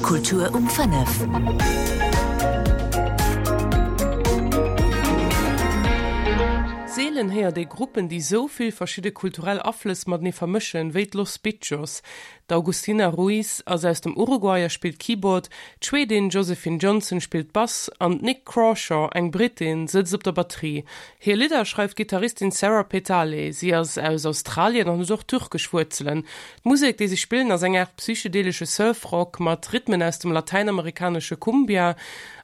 Kultur um 5. Seelen héiert ee Gruppen, déi sou vill verschidde kulturell Aflëss matenee vermëschen, wéi d'Los Bitchos. D'Augustina Ruiz ass aus dem Uruguay a spillt Keyboard, d'Schwedin Josephine Johnson spillt Bass an d'Nick Crawshaw, eng Brittin, sëtzt op der Batterie. Hir Lidder schreift d'Gittaristin Sarah Petale. Si ass aus Australien an huet och türkesch Wuerzelen. D'Musek, déi si spillen, ass eng Aart psychedelesche Surfrock mat Rhythmen aus dem latäinamerikanesche Cumbia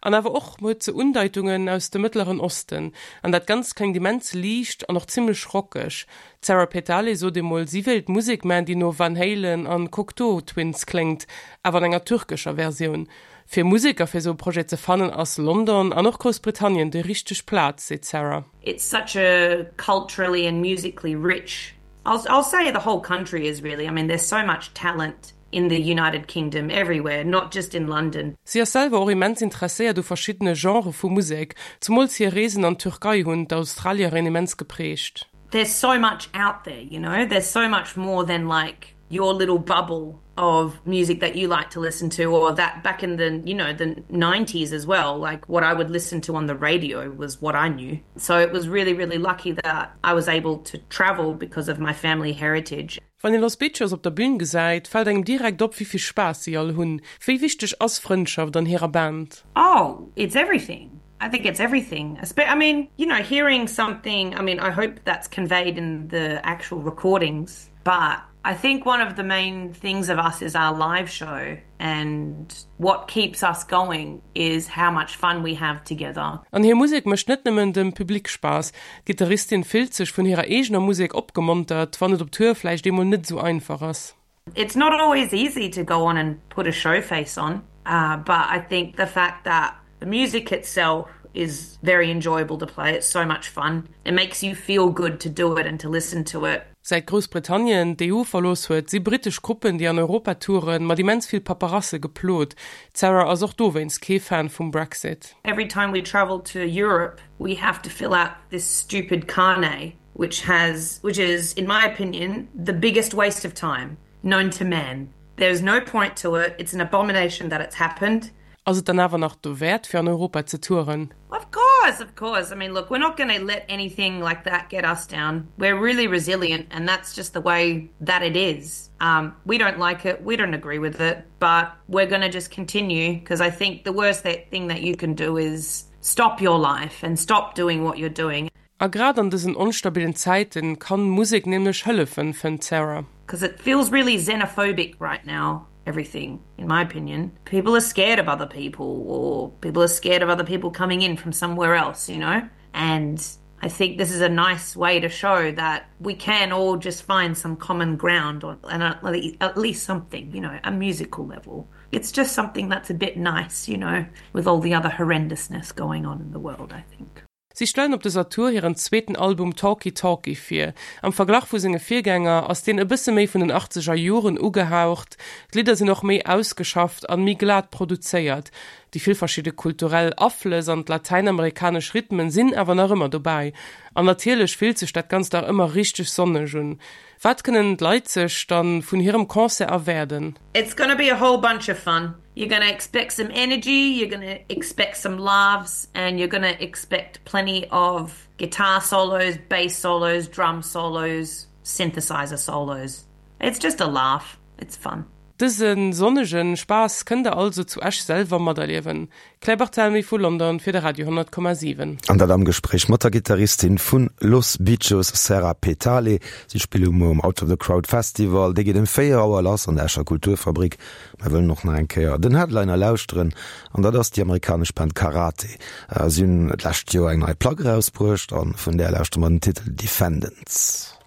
an awer och huet se Undeitungen aus dem Mëttleren Osten. An dat Ganzt kléngt immens liicht an och zimmlech rockeg. D'Sarah Petale sot emol, si wéilt Musek man, déi no Van Halen an Cocteau Twins kléngt, awer an enger türkescher Versioun. Fir Museker fir esou e Projet ze fannen, ass London an och Groussbritannien déi richteg Plaz, seet d'Sarah. It's such a culturally and musically rich, I'll I'll say the whole country is really, I mean there's so much talent in the United Kingdom everywhere, not just in London. Si ass selwer och immens interesséiert u verschiddene Genrë vu Musek, zemools hir Reesen an d'Türkei hunn d'Australierin immens geprägt. There's so much out there, you know, there's so much more than like your little bubble of music that you like to listen to or that back in the you know the 90s as well like what I would listen to on the radio was what I knew so it was really really lucky that I was able to travel because of my family heritage. Wann een Los Bitchos op der Bühn gesäit, fält engem direkt op, wéi vill Spaass si all hunn. Wéi wichteg ass Frëndschaft an hirer Band? Oh, it's everything. I think it's everything. I mean, you know, hearing something, I mean, I hope that's conveyed in the actual recordings, but I think one of the main things of us is our live show and what keeps us going is how much fun we have together. An hir Musek mécht net nëmmen dem Public Spaass. D'Gittaristin fillt sech vun hirer eegener Musek opgemontert, wann et op Tour vläicht eemol net esou einfach ass. It's not always easy to go on and put a show face on, but I think the fact that the music itself is very enjoyable to play, it's so much fun, it makes you feel good to do it and to listen to it. Säit Groussbritannien d'EU verlooss huet, si brittesch Gruppen, déi an Europa touren, mat immens vill Paperasse geplot. D'Sarah ass och dowéinst kee Fan vum Brexit. Every time we travel to Europe, we have to fill out this stupid carnet, which has, which is, in my opinion, the biggest waste of time known to man. There's no point to it, it's an abomination that it's happened. Ass et dann awer nach dowäert, fir an Europa ze touren? Of course, of course. I mean, look, we're not gonna let anything like that get us down. We're really resilient and that's just the way that it is. Um, we don't like it, we don't agree with it, but we're gonna just continue because I think the worst that thing that you can do is stop your life and stop doing what you're doing. A grad an dësen onstabillen Zäiten kann Musek nämlech hëllefen, fënnt d'Sarah. Cause it feels really xenophobic right now, everything, in my opinion. People are scared of other people or people are scared of other people coming in from somewhere else, you know? And I think this is a nice way to show that we can all just find some common ground on and at least something, you know, a musical level. It's just something that's a bit nice, you know, with all the other horrendousness going on in the world, I think. Si stellen op dëser Tour hiren zweeten Album Talky Talky vir. Am Verglach vu senge Virgänger ass deen e bësse méi vun den achtzeger Joren ugehaucht, d'Lidder sinn och méi ausgeschafft an méi glat produzéiert. Déi vill verschidde kulturell Aflëss an d'latäinamerikanesch Rhythmen sinn awer nach ëmmer dobäi. An natierlech fillt sech dat Ganzt nach ëmmer richteg sonneg un. Wat kënnen d'Leit sech dann vun hirem Concert erwaarden? It's gonna be a whole bunch of fun. You're gonna expect some energy, you're gonna expect some laughs and you're gonna expect plenty of guitar solos, bass solos, drum solos, synthesizer solos. It's just a laugh, it's fun. Dëse sonnege Spaass kënnt der also zu Esch selwer materliewen. Claire Barthelmy vu London fir de Radio 100,7. An dat am Gespréich mat der Gittaristin vun Los Bichos, Sarah Petale. Si spille muer um Out of the Crowd Festival. Dee geet ëm 4 Auer lass an der Escher Kulturfabrik. Mer wëllen och nach eng Kéier den Headliner lauschteren, an dat ass déi amerikanesch Band Karate. Si hunn d'lescht Joer eng nei Plack erausbruecht, a vun där lauschtere mer den Titel Defendants.